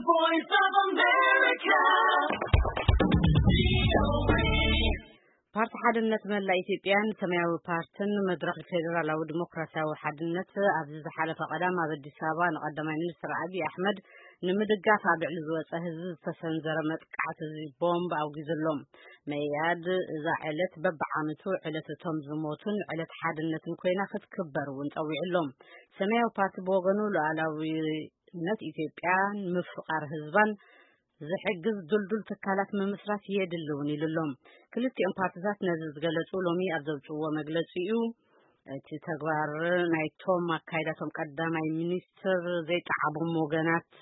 Voice of America. ፓርቲ ሓድነት መላእ ኢትዮጵያን ሰማያዊ ፓርትን መድረኽ ፌዴራላዊ ዲሞክራሲያዊ ሓድነት ኣብዚ ዝሓለፈ ቀዳም ኣብ ኣዲስ ኣበባ ንቀዳማይ ሚኒስትር ኣብይ ኣሕመድ ንምድጋፍ ኣብ ልዕሊ ዝወፀ ህዝቢ ዝተሰንዘረ መጥቃዕቲ እዚ ቦምብ ኣውጊዙሎም። መኢኣድ እዛ ዕለት በብዓመቱ ዕለት እቶም ዝሞቱን ዕለት ሓድነትን ኮይና ክትክበር እውን ፀዊዑሎም። ሰማያዊ ፓርቲ ብወገኑ ሉዓላዊ ነት ኢትዮጵያ ምፍቓር ህዝባን ዝሕግዝ ድልዱል ትካላት ምምስራት የድሊ እውን ኢሉ ኣሎ። ክልቲኦም ፓርትታት ነዚ ዝገለጹ ሎሚ ኣብ ዘውፅዎ መግለፂ እዩ። እቲ ተግባር ናይቶም ኣካይዳቶም ቀዳማይ ሚኒስትር ዘይጠዓሞም ወገናት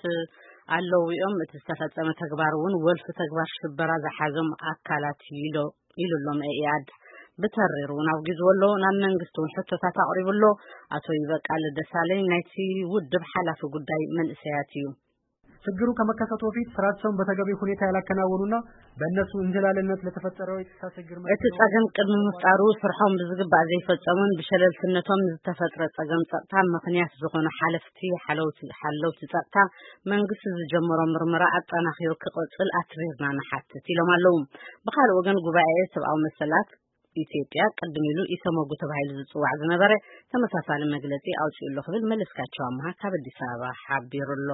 ኣለዉ እዮም። እቲ ዝተፈጸመ ተግባር እውን ወልፊ ተግባር ሽበራ ዝሓዞም ኣካላት ኢሉ ኣሎ መኢኣድ። ብተሪር እውን ኣውጊዝዎ ኣሎ። ናብ መንግስቲ እውን ሕቶታት ኣቕሪቡ ኣሎ። ኣቶ ይበቃል ደሳለኝ ናይቲ ውድብ ሓላፊ ጉዳይ መንእሰያት እዩ። ችግሩ ከመከሰቱ በፊት ስራቸውን በተገቢ ሁኔታ ያላከናወኑና በእነሱ እንዝላልነት ለተፈጠረው የጸጥታ ችግር እቲ ጸገም ቅድሚ ምፍጣሩ ስርሖም ብዝግባእ ዘይፈጸሙን ብሸለልትነቶም ዝተፈጥረ ጸገም ጸጥታ ምኽንያት ዝኾኑ ሓለፍቲ ሓለውቲ ጸጥታ መንግስቲ ዝጀመሮ ምርመራ ኣጠናኺሩ ክቕጽል ኣትሪርና ንሓትት ኢሎም ኣለዉ። ብኻልእ ወገን ጉባኤ ሰብኣዊ መሰላት ኢትዮጵያ ቅድም ኢሉ ኢሰመጉ ተባሂሉ ዝጽዋዕ ዝነበረ ተመሳሳሊ መግለጺ ኣውጺኡ ኣሎ ክብል መለስካቸው ኣምሃ ካብ ኣዲስ ኣበባ ሓቢሩ ኣሎ።